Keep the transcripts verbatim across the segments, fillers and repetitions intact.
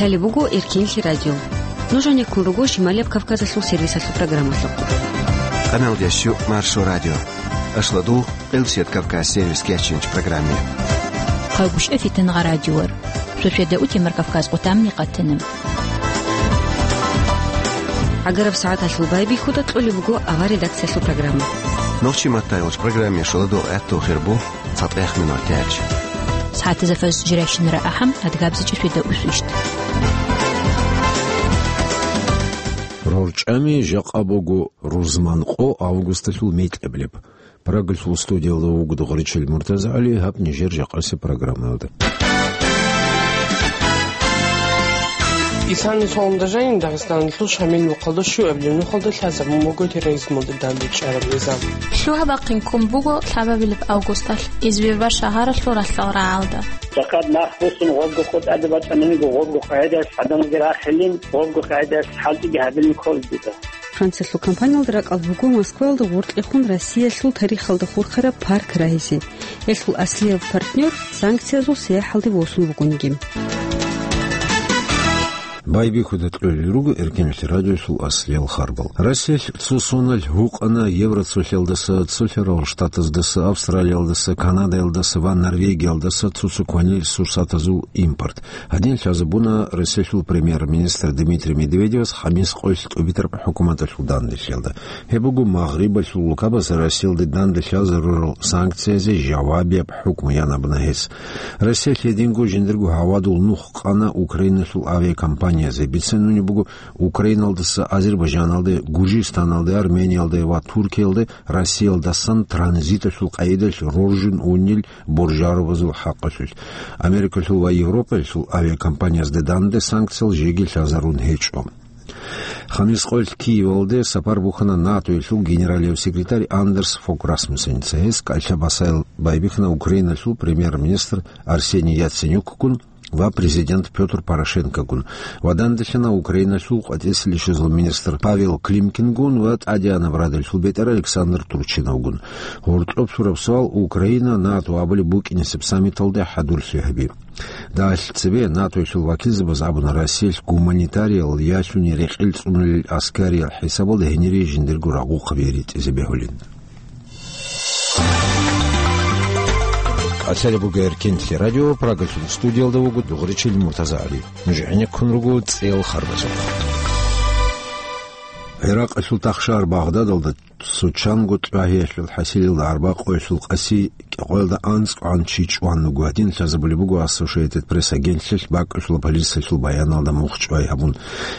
Лъалеб буго Эркенлъи радио. Нуж гьанеккун руго Шималияб Кавказалъул сервисалъул программалъухъ. Канал дясю Маршо радио. Ашладул Элсет Кавказ сервис кячинч программе. Хъагушев Фитангъа радиор. Суседа утемар Кавказ къутамни къатана. ГӀагараб сагӀаталъул байбихьуда кьолеб буго авар редакциялъул программа. Нохчи маттайолч программе шоладо гӀатту хирбу. ЦатӀех минут тяч. СагӀатазда фаз жирайщинара ахӀам, адгабзичӀи светда усвищт. РорчӀами жакъа буго рузман къо августалъул микьаблеб. Прагалъул студиялда вуго Догъричил МуртазагӀали, гьаб нижер жакъасеб программаялда. Исани солун дажанин Дагъистаналъул Шамил мухъалда щуабилеб нухалда лъазабун буго терроризмалда дандечӀараб низам. Лъугьа-бахъин ккун буго лъабабилеб августалъ Извирва шагьаралъул ралъдал рагӀалда. Жакъад нах босун гъобго къо тӀаде бачӀананиго, гъобго къагӀидаялъ гӀадамалги рахилин, гъобго къагӀидаялъ хӀалтӀиги гьабилин кколеб дида. Франциялъул компаниялда ракӀалда буго Москваялда гъоркьехун Россиялъул тарихалда хурхараб парк рагьизе. Гьелъул аслияб партнер санкциязул сияхӀалде восун вугониги. Байбихьуда кьолел руго Эркенлъи радиосул аслиял харбал. Россиялъ цо соналъ гьукъана Евроцолъялдаса, Цолъарал Штатаздаса, Австралиялдаса, Канадаялдаса ва Норвегиялдаса цо-цо кванил сурсатазул импорт. Гьадин лъазабуна Россиялъул премьер-министр Дмитрий Медведевас хамис къоялъ тӀубитараб хӀукуматалъул данделъиялда. Гьеб буго Магърибалъул улкабаз Россиялде данде лъазарурал санкциязе жавабияб хӀукму ян абуна гьес. Россиялъ гьединго жиндирго гьавадул нух къана Украиналъул авиакомпаниязе. Бицунеб буго, Украиналдаса Азербайджаналде, Гужистаналде, Армениялде ва Туркиялде Россиялдасан транзиталъул къайдалъ роржун унел боржаробазул хӀакъалъулъ. Америкалъул ва Европаялъул авиакомпаниязде данде санкциял жеги лъазарун гьечӀо. Хамис къоялъ Киевалде сапар бухьана НАТОялъул генералияб секретарь Андерс Фог Расмуссеница. Гьес кӀалъа-басаял байбихьана Украиналъул премьер-министр Арсений Яценюкгун ва президент Пётр Порошенкогун ва данделъана Украиналъул къватӀисеб ришазул министр Павел Климкингун ва тӀадегӀанаб радалъул бетӀер Александр Турчиновгун. Гьоркьоб лъураб суал: Украина НАТО абулеб букӀинесеб саммиталде хӀадурлъи гьаби. Дагьалъ цебе НАТОялъул вакилзабаз абуна Россиялъ гуманитариял ялъуни рекъел цӀунулел аскариял хӀисабалда гьенире жиндирго рагъухъаби ритӀизе бегьулин. КӀалъалеб буго Эркенлъи радио, Прагалъул студиялда вуго Дугъричил МуртазагӀали. Нуж гӀенеккун руго цӀел харбазухъ. ГӀиракъалъул тахшагьар Багъдадалда цо чанго тӀвагьиялъул хӀасилалда арбакъоялъул къаси кӀикъоялда анцӀгӀан чи чӀван вуго. Гьадин лъазабулеб буго Associated Press агентлъилъ бакӀалъула полициялъул баяналда мухь чӀвай гьабун.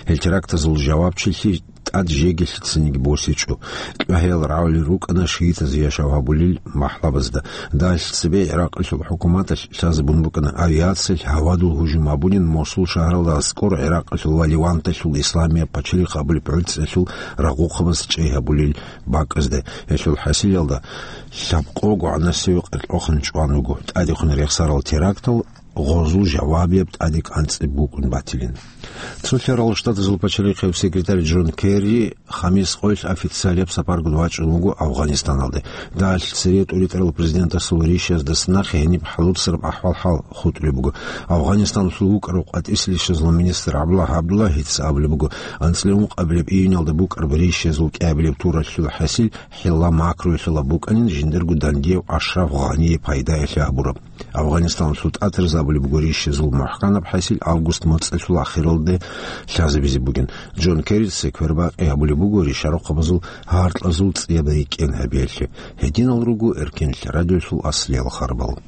Гьел терактазул жавабчилъи тӀад жеги лъицаниги босичӀо. ТӀвагьиял рагӀулел рукӀана шиитазе яшав гьабулел махӀлабазда. Дагьалъ цебе ГӀиракъалъул хӀукуматалъ лъазабун букӀана авиациялъ гьавадул гьужум гьабунин Мосул шагьаралда аскӀор ГӀиракъалъул ва Леванталъул Исламияб пачалихъ абулеб гӀуцӀиялъул рагъухъабаз чӀей гьабулел бакӀазда. Гьелъул хӀасилалда лъабкъого гӀанасеве къеркьохъан чӀван вуго. ТӀадехун рехсарал терактал гъозул жавабияб тӀаде кӀанцӀи букӀун батилин. Цолъарал Штатазул пачалихъияб секретарь Джон Керри хамис къоялъ официалияб сапаргун вачӀун вуго Афганистаналде. Дагьалъ цере тӀуритӀарал президентасул ришаздаса нахъе гьениб хӀалуцараб ахӀвал-хӀал хутӀулеб буго. Афганистаналъул вукӀарав къватӀисел ришазул министр ГӀабдуллагь ГӀабдуллагьица абулеб буго, анцӀила ункъабилеб июнялда букӀараб ришазул кӀиабилеб туралъул хӀасил хӀилла макруялъула букӀанин жиндирго дандияв Ашраф Гъание пайдаялъе гьабураб. Афганистаналъул тӀатарзабулеб буго ришазул мухӀканаб хӀасил август моцӀалъул ахиралде лъазабизе бугин. Джон Керрица квербакъи гьабулеб буго ришарухъабазул гьаркьазул цӀияб рикӀкӀен гьабиялъе. Гьединал руго Эркенлъи радиолъул аслиял харбал.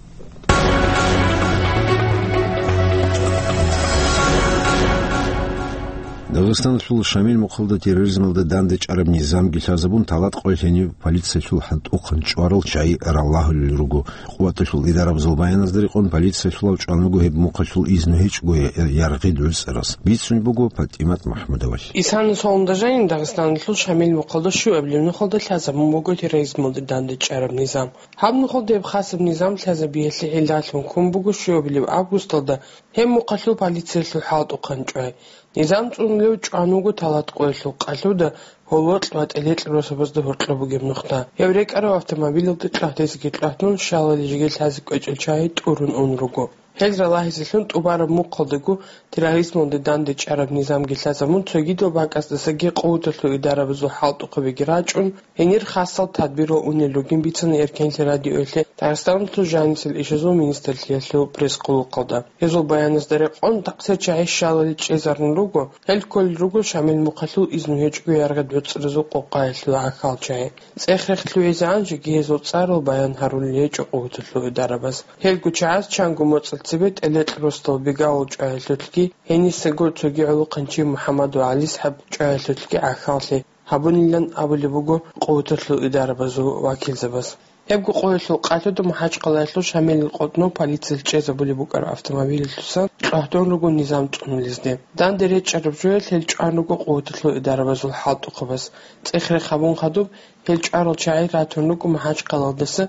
Дагъистаналъул Шамил мухъалда терроризмалда дандечӀараб низамги лъазабун, Талат къоялъ гьенив полициялъул хӀалтӀухъан чӀварал чагӀи раллагьулел руго. Къуваталъул идарабазул баяназда рекъон, полициялъулав чӀван вуго гьеб мухъалъул изну гьечӀого я-, яргъи дугӀцӀарас. Бицун буго ПатӀимат МахӀмудовалъ. Исана солун дажанин Дагъистаналъул Шамил мухъалда щуабилеб нухалда лъазабун буго терроризмалда дандечӀараб низам. Гьаб нухалда гьеб хасаб низам лъазабиялъе гӀиллалъун ккун буго щуабилеб августалда гьеб мухъалъул полициялъул хӀалтӀухъан чӀвай. Низам цӀунулев чӀван вуго Талат къоялъул къалъуда, гьолокь ва тӀелекь росабазда гьоркьоб бугеб нухда. Гьев рекӀарав автомобилалда кьагьдезеги кьагьдун, щалали жеги лъазе кӀвечӀел чагӀи тӀурун ун руго. Гьел ралагьизелъун тӀубараб мухъалдаго терроризмалде дандечӀараб низамги лъазабун, цогидал бакӀасдасаги къуваталъул идарабазул хӀалтӀухъабиги рачӀун, гьенир хасал тадбирал унел ругин бицана Эркенлъи радиоялъе Дагъистаналъул жанисел ишазул министрлъиялъул пресс-къулухъалда. Гьезул баяназда рекъон, такъсир чагӀи щалали чӀезарун руго, гьел кколел руго Шамил Мухъалъул изну гьечӀого яргъи доцӀразул къокъаялъул гӀахьал чагӀи. ЦӀех-рех лъугӀизегӀан жеги гьезул цӀарал баян гьарулел гьечӀо къуваталъул идарабаз. Гьелго чагӀаз чанго моцӀалъ цебе ТӀелекь Ростал Бегавул чӀваялъулъги, гьенисего цоги гӀолохъанчи МухӀаммадул ГӀалисхӀаб чӀваялъулъги гӀахьаллъи гьабунилан абулеб буго къуваталъул идарабазул вакилзабаз. Гьебго къоялъул къалъуда МахӀачхъалаялъул Шамилил къотӀнов полициялъ чӀезабулеб букӀараб автомобилалъусан чӀвагьдун руго низам цӀунулезде. Данде речӀчӀараб жоялъ гьел чӀван руго къуваталъул идарабазул хӀалтӀухъабаз. ЦӀех-рех гьабун хадуб, гьел чӀварал чагӀи ратун руго МахӀачхъалаялдаса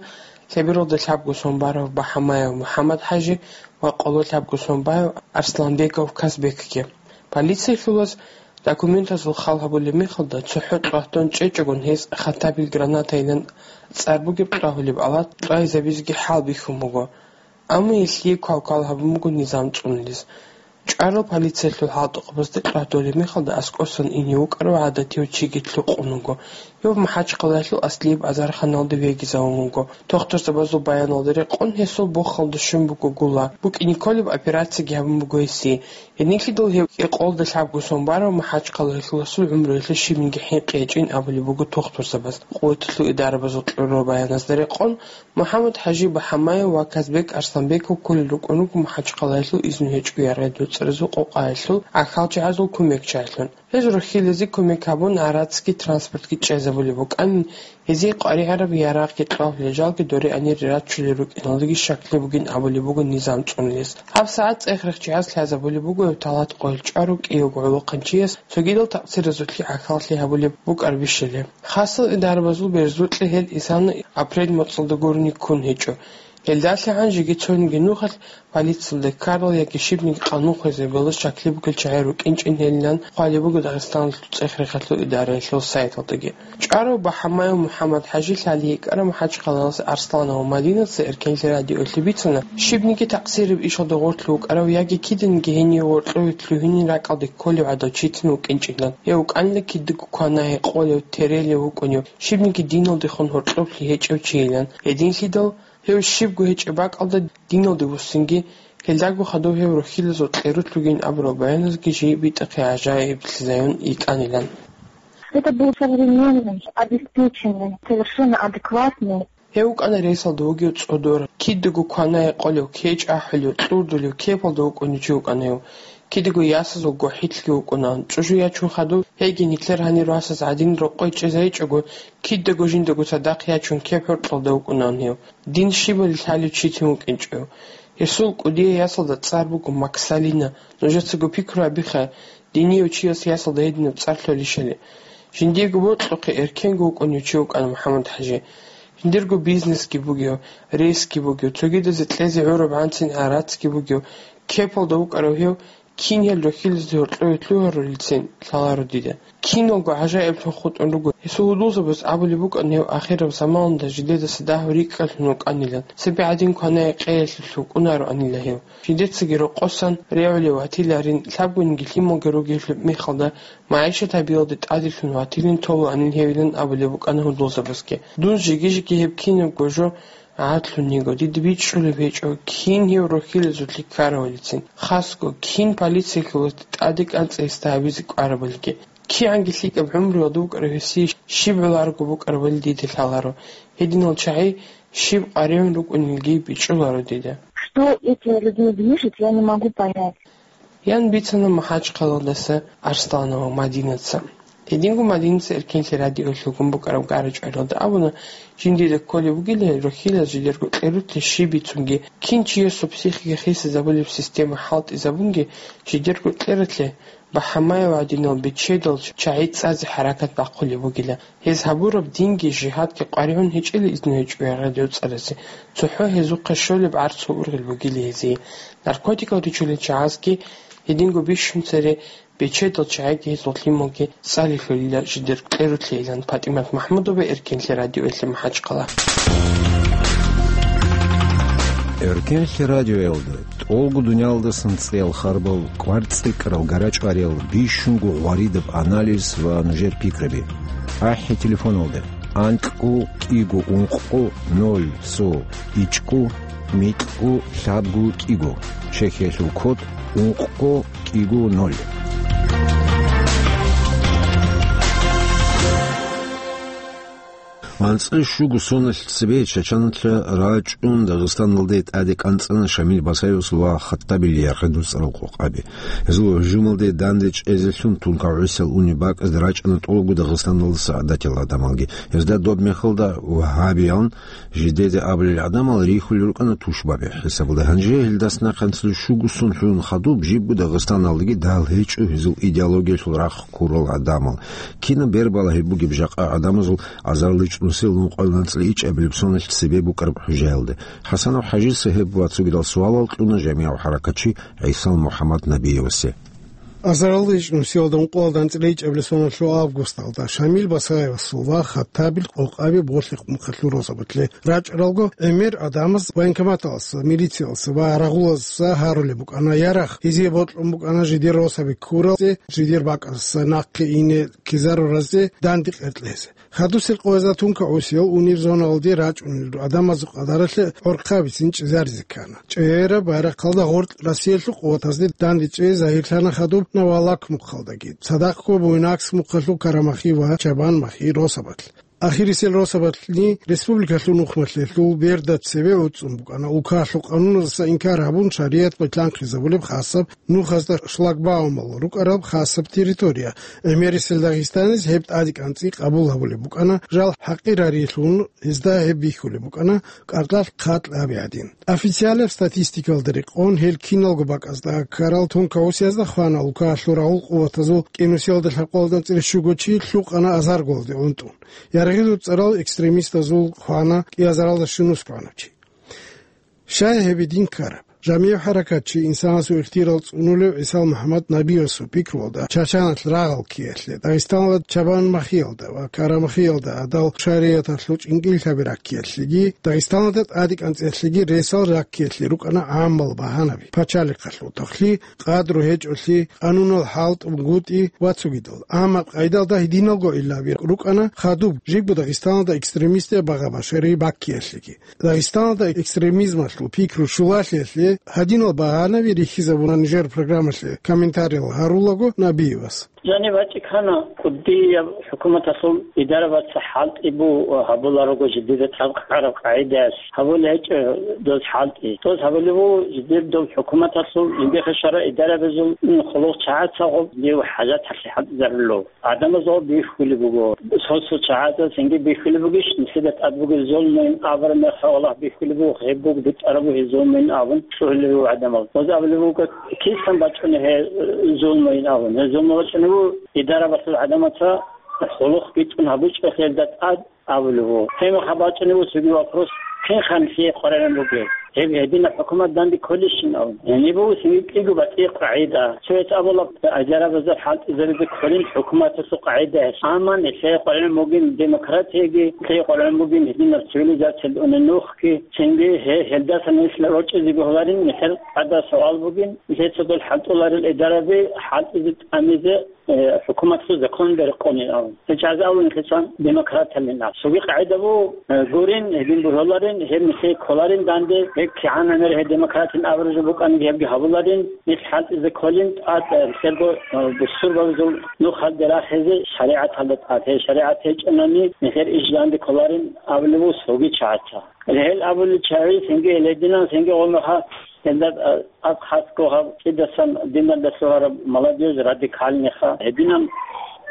Лъебералда лъабго сон барав БахӀамаев МухӀаммад-хӀажи ва къоло лъабго сон барав Арсланбеков Казбекги. Полициялъулаз документазул хал гьабулеб мехалда, цохӀо чӀвагьдун чӀечӀогун гьез хатабил гранатайилан цӀар бугеб кьвагьулеб алат кьвайзабизеги хӀалбихьун буго. Амма гьелъие квалквал гьабун буго низам цӀунулез. ЧӀварал полициялъул хӀалтӀухъабазда чӀвагьдулеб мехалда аскӀосан ине вукӀарав гӀадатив чиги лъукъун вуго. Гьев МахӀачхъалаялъул аслияб азарханалде вегизавун вуго. Тухтурзабазул баяналда рекъон, гьесул бохалда щун буго гула. БукӀине кколеб операциги гьабун буго гьесие. Гьединлъидал гьев кӀикъоялда лъабго сон барав МахӀачхъалаялъуласул гӀумруялъе щибниги хӀинкъи гьечӀин абулеб буго тухтурзабаз. Къуваталъул идарабазул кьурал баяназда рекъон, МухӀаммад-хӀажи БахӀамаев ва Казбек Арсланбеков кколел рукӀун руго МахӀачхъалаялъул изну гьечӀого яргъи доцӀразул къокъаялъул гӀахьалчагӀазул кумекчагӀилъун. Гьез рухьилазе кумек гьабун, гӀарацги транспортги чӀезабулеб букӀанин, гьезие къваригӀараб ярагъги кьвагьулел жалги дореани рачулел рукӀиналдаги щаклъи бугин абулеб буго низам цӀунулес. ГьабсагӀат цӀех-рехчияс лъазабулеб буго гьев талат къойил чӀварав кӀиявго гӀолохъанчияс цогидал такъсиразулъе гӀахьаллъи гьабулеб букӀар бищали. Хасал идарабазул берзукьа гьел исана апрель моцӀалда гурони ккун гьечӀо. ГьелдалъагӀан жеги цониги нухалъ полициялда ккарал яги щибниги къанун хвезабулел щаклъи бугел чагӀи рукӀинчӀин гьелилан хъвалеб буго Дагъистаналъул цӀех-рехалъул идараялъул сайталдаги. ЧӀварав БахӀамаев МухӀаммад-хӀажи лъалеб йикӀараб МахӀачхъалаялъул Арсланов Мадинаца Эркенлъи радиоялъе бицана, щибниги такъсираб ишалда гъорлъ вукӀарав яги киданиги гьенив гьоркьове лъугьунин ракӀалде кколев гӀадав читин вукӀинчӀилан. Гьев вукӀанила кидаго кванай, къолев, терелев вукӀунев, щибниги диналдехун гьоркьоблъи гьечӀев чийилан. Гьединлъидал гьев щибго гьечӀеб бакӀалда диналде вуссинги, гьелдаго хадуб гьев рухьилазул кьерулъ вугин абурал баяназги жий битӀахъе гӀажаиблъизайун йикӀанилан. Это был современный, обеспеченный, совершенно адекватный. Гьев вукӀана ресалда вугев цӀодор, кидаго кванай къолев, кечӀ ахӀулев, кьурдулев, кепалда вукӀунев чи вукӀана гьев. Кидаго ясазул гохӀилъги вукӀунаан. ЧӀужу ячун хадуб, гьейги нилъер гьанир васаз гӀадин рокъой чӀезайичӀого, кидаго жиндаго цадахъ ячун кеп гьоркьалда вукӀунаан гьев. Дин щибали лъалев читин вукӀинчӀев. Гьесул кӀудияй ясалда цӀар буго Максалина. Нужецаго пикру гьабиха, динияв чияс ясалда гьединаб цӀар лъолищали. Жиндиего бокьухъе эркенго вукӀунев чи вукӀана МухӀаммад-хӀажи. Жиндирго бизнесги бугев, ресги бугев, цогидазе кьезе гӀурабгӀанцин гӀарацги бугев, кепалда вукӀарав гьев, кин гьел рухьилазде гьоркьове лъугьарулелцин лъаларо дида. Киналго гӀажаиблъун хутӀун руго. Гьесул гьудулзабаз абулеб букӀан, гьев ахираб заманалда жидедаса дагьав рикӀкӀалъун вукӀанилан, цебе гӀадин кванай къеялъулъ вукӀунароанила гьев. Жидецаги рокъосан регӀулев ватиларин, лъабгониги лъималги ругелъул мехалда, магӀишат гьабиялде тӀаделъун ватилин толаанин гьевилан абулеб букӀана гьудулзабазги. Дун жеги-жеги гьеб кинабго жо гӀадлъун йиго, дида бичӀчӀулеб гьечӀо, кин гьев рухьилазулъе ккарабилицин, хасго, кин полициялъулазда тӀаде кӀанцӀи гьесда гьабизе кӀварабилги. КигӀанги лъикӀаб гӀумруялда вукӀарав гьесие щиб гӀоларого букӀарабали дида лъаларо. Гьединал чагӀи щиб къваригӀун рукӀунелги бичӀчӀуларо дида. Что этими людьми движет, я не могу понять. Ян бицана МахӀачхъалаялдаса Арсланова Мадинаца. Гьединго Мадинаца Эркенлъи радиоялъ гьукъун букӀараб гара-чӀваралда абуна, жиндида кколеб бугила рухьилаз жидерго кьерулъе щиб бицунги, кин чиясул психика хисизабулеб система хӀалтӀизабунги, жидерго кьерулъе БахӀамаев гӀадинал бечедал чагӀи цӀазе хӀаракат бахъулеб бугила. Гьез гьабураб динги жигьадги къваригӀун гьечӀила изну гьечӀо ягъа доцӀаразе, цохӀо гьезухъе щолеб гӀарцул ургъел бугила гьезие. Наркотикал ричулел чагӀазги гьединго бищун цере бечедал чагӀиги гьезул лъималги цӀалилъулила жидер кьерулъейилан. ПатӀимат МахӀмудова, Эркенлъи радиоялъе, МахӀачхъала. Эркенлъи радиоялда тӀолго дуниялдасан цӀеял харбал, кӀвар-цӀикӀкӀарал, гарачӀвариял, бищунго гъваридаб анализ ва нужер пикраби. АхӀи телефоналда: анкьго кӀиго ункъго ноль цо ичӀго микьго лъабго кӀиго, чехиялъул код ункъго кӀиго ноль. АнцӀила щуго соналъ цебе Чачаналъа рачӀун Дагъистаналде тӀаде кӀанцӀана Шамил Басаевасул ва Хаттабил Ярхъадул цӀарал къокъаби. Гьезул гьужумалде данде чӀезелъун тункагӀусиял унеб бакӀазда рачӀана тӀолго Дагъистаналдаса гӀадатиял гӀадамалги. Гьезда доб мехалда вагьабиян жидеде абулел гӀадамал рихьулел рукӀана тушбаби хӀисабалда. Гьанже гьелдаса нахъе анцӀила щуго сон лъугӀун хадуб жибго Дагъистаналдаги дагьал гьечӀо гьезул идеологиялъул рахъ ккурал гӀадамал. Кинаб бер балагьи бугеб жакъа гӀадамазул азарилчӀ нусил ункъоялда анцӀила ичӀабилеб соналъ цебе букӀараб хӀужаялда? ХӀасанов ХӀажица гьеб ва цогидал суалал кьуна жамигӀав хӀаракатчи ГӀисал МухӀаммад Набиевасе. Азарилда ичӀ нусиялда ункъоялда анцӀила ичӀабилеб соналъул августалда Шамил Басаевасул ва Хаттабил къокъаби Болъихъ мухъалъул росабалъе рачӀаралго, гӀемер гӀадамаз военкоматалдаса, милициялдаса ва рагъулаздаса гьарулеб букӀана ярагъ, гьезие бокьун букӀана жидер росаби ккуразе, жидер бакӀаздаса нахъе ине ккезаруразе данде къеркьезе. Хадусел къоязда тункагӀусиял унел зоналде рачӀунел гӀадамазул къадаралъе гӀорхъа бицин чӀезаризе ккана. ЧӀегӀераб байрахъалда гъоркь Россиялъул къуватазде данде чӀей загьирлъана хадуб Навалак мухъалдаги, цадахъго Буйнакск мухъалъул Карамахи ва Чабанмахи росабалъ. Ахирисел росабалъни республикалъул нухмалъелъул берда цеве гӀуцӀун букӀана, улкаялъул къануназдаса инкар гьабун, шаригӀат бакьанхъизабулеб хасаб нухазда шлагбаумал рукӀараб хасаб территория. ГӀемерисел Дагъистаниз гьеб тӀаде кӀанцӀи къабул гьабулеб букӀана, жал хӀакъирариялъун гьезда гьеб бихьулеб букӀана, кӀаркьалъ хъат лъаби гӀадин. Официалаб статистикалда рекъон, гьел киналго бакӀазда ккарал тункагӀусиязда хвана улкаялъул рагъул къуватазул кӀинусиялда лъабкъоялда анцӀила щуго чи лъукъана азаргоялде унтӀун. Ярагъизул цӀарал экстремистазул хвана кӀиазаралда щунус кванав чи. Щай гьеб гьедин ккараб? ЖамигӀ хӀаракатчи, инсанасул ихтияр цӀунулев ГӀисал МухӀаммад Набиевасул пикруялда, Чачаналъ рагъал ккеялъе, Дагъистаналда Чабанмахиялда ва Карамахиялда гӀадал шаригӀаталъул чӀинкӀиллъаби раккиялъеги, Дагъистаналда тӀаде кӀанцӀиялъеги ресал раккиялъе рукӀана гӀаммал багьанаби: пачалихъалъул тохлъи, къадру гьечӀолъи, къанунал хӀалтӀунгутӀи ва цогидал. Амма къайдалда гьединалго гӀиллаби рукӀана хадуб жибго Дагъистаналда экстремистиял багъа-башари баккиялъеги. Дагъистаналда экстремизмалъул пикру щулалъиялъе гьадинал багьанаби рихьизабуна нижер программалъе комментариял гьарулаго Набиевас. Жаниб гьачӀи ккана, кӀудияб хӀукуматалъул идарабаца хӀалтӀи бу гьабуларого жидеда тӀадкъараб къагӀидаялъ гьабулеб гьечӀо доз хӀалтӀи. Доз гьабулеб буго жидер доб хӀукуматалъул жиндихъе щварал идарабазул хъулухъ чагӀацаго див хӀажаталъе хӀалтӀизарулев. ГӀадамаз гъоб бихьулеб буго. Цо-цо чагӀазда цинги бихьулеб бугищ, нилъеда тӀад бугеб зулмуйин абураб мехалъ Аллагь бихьулеб буго, гьеб буго битӀараб бугеб зулмуйин абун лъугьулеб буго гӀадамал. Гъоз абулеб буго, кисан бачӀунеб гьеб, э, зулмуйин абун? Гьеб зулму бачӀунеб буго, идарабалъул гӀадамаца хъулухъ битӀун гьабичӀо гьелда тӀад абулеб буго. Гьеб мехалъ бачӀунеб буго цоги вопрос, кин ханлъие къваригӀун бугеб? Гьеб гьединаб хӀукумат данде кколищин абун. Гьениб буго цинги кӀиго батӀи къагӀида. Цояс абула, идарабазда хӀалтӀизаризе кколин хӀукуматалъул къагӀидаялъ. Амма нилъее къваригӀун бугин демократияги, нилъее къваригӀун бугин гьединаб цивилизациялда унеб нухги, цинги гье-, гьелдаса нилъ рорчӀизе бегьуларин, нилъер тӀадаб суал бугин, нилъеца дол хӀалтӀуларел идараби хӀалтӀизе тӀамизе, э, хӀукуматалъул закон беркъонин абун. Гьеб чӀазе абун нилъеца демократиялин абун. Цоги къагӀида буго, э, гурин, гьедин бегьуларин, гьеб нилъее кколарин данде, гьеб кигӀанаб мер гьеб демократин абураб жо букӀаниги гьебги гьабуларин, нилъ хӀалтӀизе кколин тӀад, э, нилъерго, э, бусурбабазул нух гьалде рахизе шаригӀаталда тӀад. Гьеб шаригӀат гьечӀони нилъер иш данде кколарин абулеб буго цоги чагӀаца. Гьел абулел чагӀи цинги гьел гьединан, цинги гъомеха гьелда, а, тӀад хасго гьаб кӀидасан диналда лъугьараб молодёжь радикальныйха, гьединан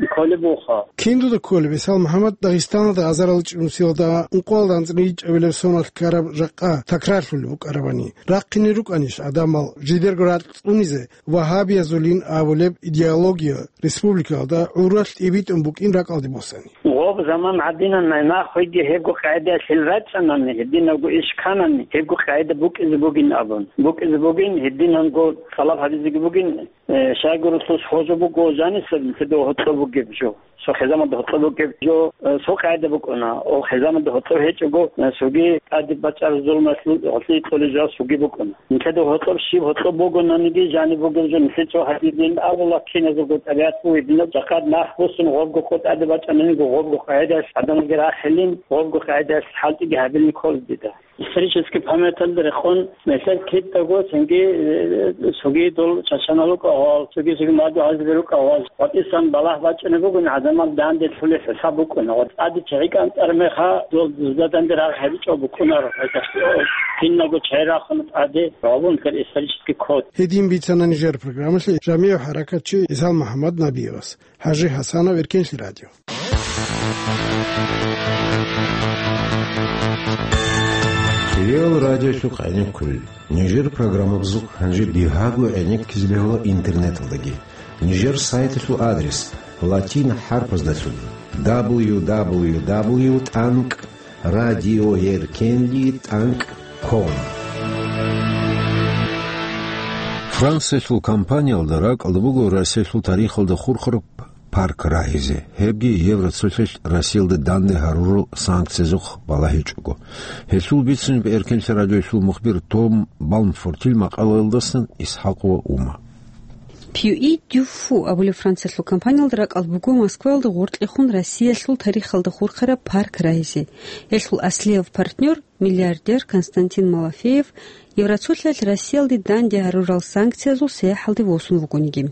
кколеб бугоха. Кин дуда кколеб, ГӀисал МухӀаммад, Дагъистаналда азарилчӀ нусиялда ункъоялда анцӀила ичӀабилеб соналъ ккараб жакъа такрарлъулеб букӀарабани? Рахъине рукӀанищ гӀадамал жидерго ракь цӀунизе вагьабиязулин абулеб идеология республикаялда гӀуралъ тӀибитӀун букӀин ракӀалде босани? Гъоб заман гӀадинан, нахъеги гьебго къагӀидаялъ рачӀанани, гьединабго иш кканани, гьебго къагӀида букӀизе бугин абун. БукӀизе бугин, гьединанго тӀалаб гьабизеги бугин, э, щайгурелъул схожу буго жанисеб, нилъеда гьоркьоб бугеб жо. Цо хизамалда гьоркьоб бугеб жо, э, цо къагӀида букӀуна. О, хизамалда гьоркьоб гьечӀого, э, цоги тӀаде бачӀараб зулмалъул гьоркье кьолеб жо цоги букӀуна. Нилъеда гьоркьоб щиб гьоркьоб бугонаниги, жаниб бугеб жо нилъее цо гьадин абула, киназего тӀабигӀат бугеб, гьединаб жакъа нах босун гъобго къо тӀаде бачӀананиги, гъобго къагӀидаялъ гӀадамалги рахилин, гъобго къагӀидаялъ хӀалтӀиги гьабилин кколеб дида. Исторический памяталда рекъон, нилъер кидаго цинги, э, цоги дол чачанал рукӀа гьал, цоги-цоги мадугьалзаби рукӀа гьал, ватӀисан балагь бачӀунеб бугин, гӀадамал данде лъулеб хӀисаб букӀуна. Ва тӀаде чагӀи кӀантӀараб мехалъ, дол дузда данде рагъ гьабичӀо букӀунаро, гьелдаса киналго чагӀи рахуна тӀаде, гьабун нилъер исторический код. Гьедин бицана нижер программалъе жамигӀ хӀаракатчи Исал МухӀаммад Набиевас. ХӀажи ХӀасанов, Эркенлъи радио. Кирилл радиолъухъ гӀенеккулел. Нижер программабазухъ гьанже бигьаго гӀенеккизе бегьула интернеталдаги. Нижер сайталъул адрес: латин хӀарпаздалъун: дабл ю дабл ю дабл ю тӀанкӀ радиоеркенлъи тӀанкӀ ком. Франциялъул компаниялда ракӀалда буго Россиялъул тарихалда хурхараб парк рагьизе, гьебги Евроцолъалъ Россиялда данде гьарурал санкциязухъ балагьичӀого. Гьелъул бицунеб Эркенлъи радиоялъул мухбир Том Балмфортил макъалаялдасан ИсхӀакъова Ума. Пью и Дю Фу абулеб Франциялъул компаниялда ракӀалда буго Москваялда гъоркьехун Россиялъул тарихалда хурхараб парк рагьизе. Гьелъул аслияб партнер, миллиардер Константин Малафеев, Евроцолъалъ Россиялде данде гьарурал санкциязул сияхӀалде восун вугониги.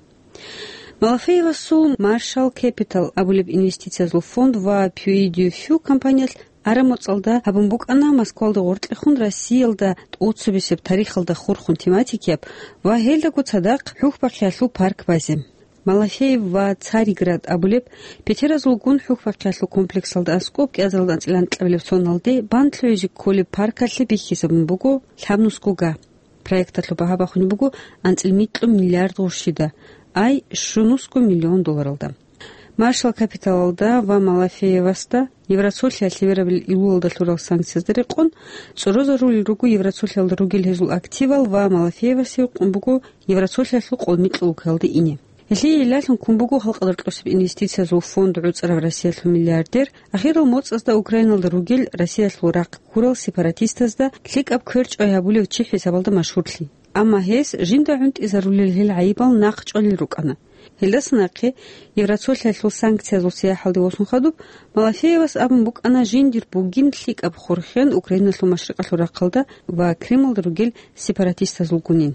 Малафеевасул Marshall Capital абулеб инвестициязул фонд ва Пью и Дю Фу компаниялъ ара-моцӀалда гьабун букӀана Москвалда гъоркьехун Россиялда тӀоцебесеб тарихалда хурхун тематикияб ва гьелдаго цадахъ хӀухьбахъиялъул парк базе. Малафеев ва Царьград абулеб пятеразулгун хӀухьбахъиялъул комплексалда аскӀоб кӀиазаралда анцӀила анкьабилеб соналде бан лъугӀизе кколеб паркалъе бихьизабун буго лъабнусго га. Проекталъул багьа бахунеб буго анцӀила микьго миллиард гъурщида, ай щунусго миллион долларалда. Маршал Капиталалда ва Малафеевасда Евроцолъиялъ лъевераб илуялда лъурал санкциязда рекъон, цӀорозарулел руго Евроцолъиялда ругел гьезул активал ва Малафеевасе гьукъун буго Евроцолъиялъул къолмикьул вукалалде ине. Гьелъие гӀиллалъун ккун буго халкъалда рокьосеб инвестициязул фонд гӀуцӀарав Россиялъул миллиардер, ахирал моцӀазда Украиналда ругел Россиялъул рахъ ккурал сепаратистазда лъикӀаб кверчӀвай гьабулев чи хӀисабалда машгьурлъи. Амма гьес жинда гӀунтӀизарулел гьел гӀайибал нахъчӀвалел рукӀана. Гьелдаса нахъе Евроцолъиялъул санкциязул сияхӀалде восун хадуб, Малафеевас абун букӀана жиндир бугин лъикӀаб хурхен Украиналъул машрикъалъул рахъалда ва Крымалда ругел сепаратистазулгунин.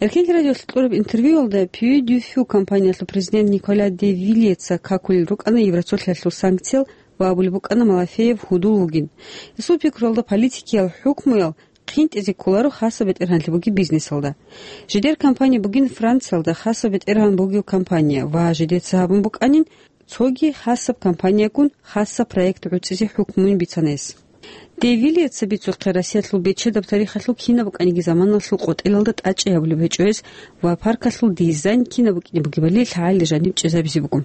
Эркенлъи радиолъ кьураб интервьюялда Пью Дю Фю компаниялъул президент Николя де Вильеца какулел рукӀана Евроцолъиялъул санкциял ва абулеб букӀана Малафеев гьудул вугин. Гьесул пикруялда политикиял хӀукмуял хъинтӀизе кколаро хасаб бетӀергьанлъи бугеб бизнесалда. Жидер компания бугин Франциялда хасаб бетӀергьан бугев компания ва жидеца гьабун букӀанин, цоги хасаб компаниягун хасаб проект гӀуцӀизе хӀукмуйин бицана гьес. Де Вильеца бицухъе Россиялъул бечедаб тарихалъул кинаб букӀаниги заманалъул къотӀелалда тӀачӀи гьабулеб гьечӀо гьес ва паркалъул дизайн кинаб букӀине бугебали лъагӀалил жаниб чӀезабизе буго.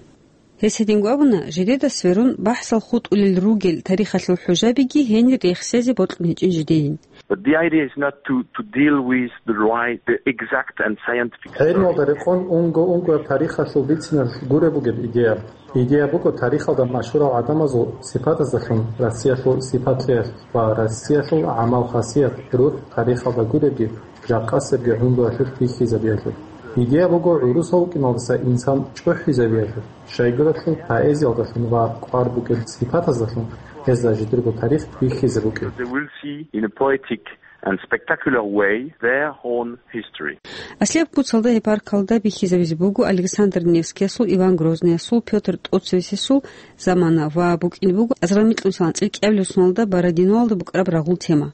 Гьес гьединго абуна, жидеда сверун бахӀсал хутӀулел ругел тарихалъул хӀужабиги гьенир рехсезе бокьун гьечӀин жидейин. But the idea is not to, to deal with the right, the exact and scientific гӀелмалда story. Рекъон унго-унгояб тарихалъул бициналъ гуреб бугеб идея. Идея буго тарихалда машгьурал гӀадамазул сипатаздалъун, Россиялъул сипатлъиялъ ва Россиялъул гӀамал-хасият, рухӀ тарихалда гуребги, жакъасебги гӀумруялъулъ бихьизабиялъул. Идея буго гӀурусав вукӀиналдаса инсан чӀухӀизабиялъул, щайгуралъул поэзиялдалъун ва кӀвар букӀел сипатаздалъун гьезда жидерго тарих бихьизе букӀин. They will see in a poetic and spectacular way their own history. Аслияб куцалда гьеб паркалда бихьизабизе буго Александр Невскиясул, Иван Грозныясул, Пётр ТӀоцевесесул замана ва букӀине буго азарал микьнусилан анцӀила кӀиабилеб соналда Бородиноалда букӀараб рагъул тема.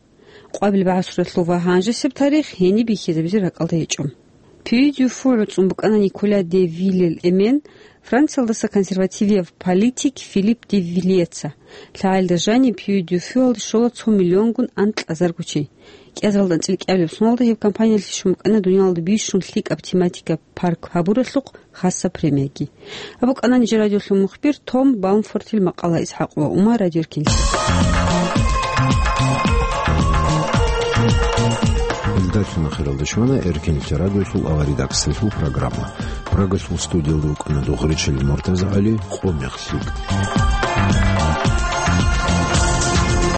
Къвабил бегӀасуралъул ва гьанжесеб тарих гьениб бихьизабизе ракӀалда гьечӀо. Пюи-дю-Фу гӀуцӀун букӀана Николя де Виллел эмен, Франциялдаса консервативияв политик Филипп де Вильеца. ЛъагӀалда жаниб Пюи-дю-Фуялде щола цо миллионгун анкьазарго чи. КӀиазаралда анцӀила кӀиабилеб соналда гьеб компаниялъе щун букӀана дуниялалда бищун лъикӀаб тематика парк гьабуралъухъ хасаб премияги. Абу кӀанани жо радиолъул мухбир Том Баумфортил макъала. ИсхӀакъ ва Умар, радиоркинлъи. Илдал Хиралда щвана Эркинлъи радиолъул аваридаксалъул программа. Прагалъул студиялда вукӀана Дугъричил МуртазагӀали, къо мехлъи.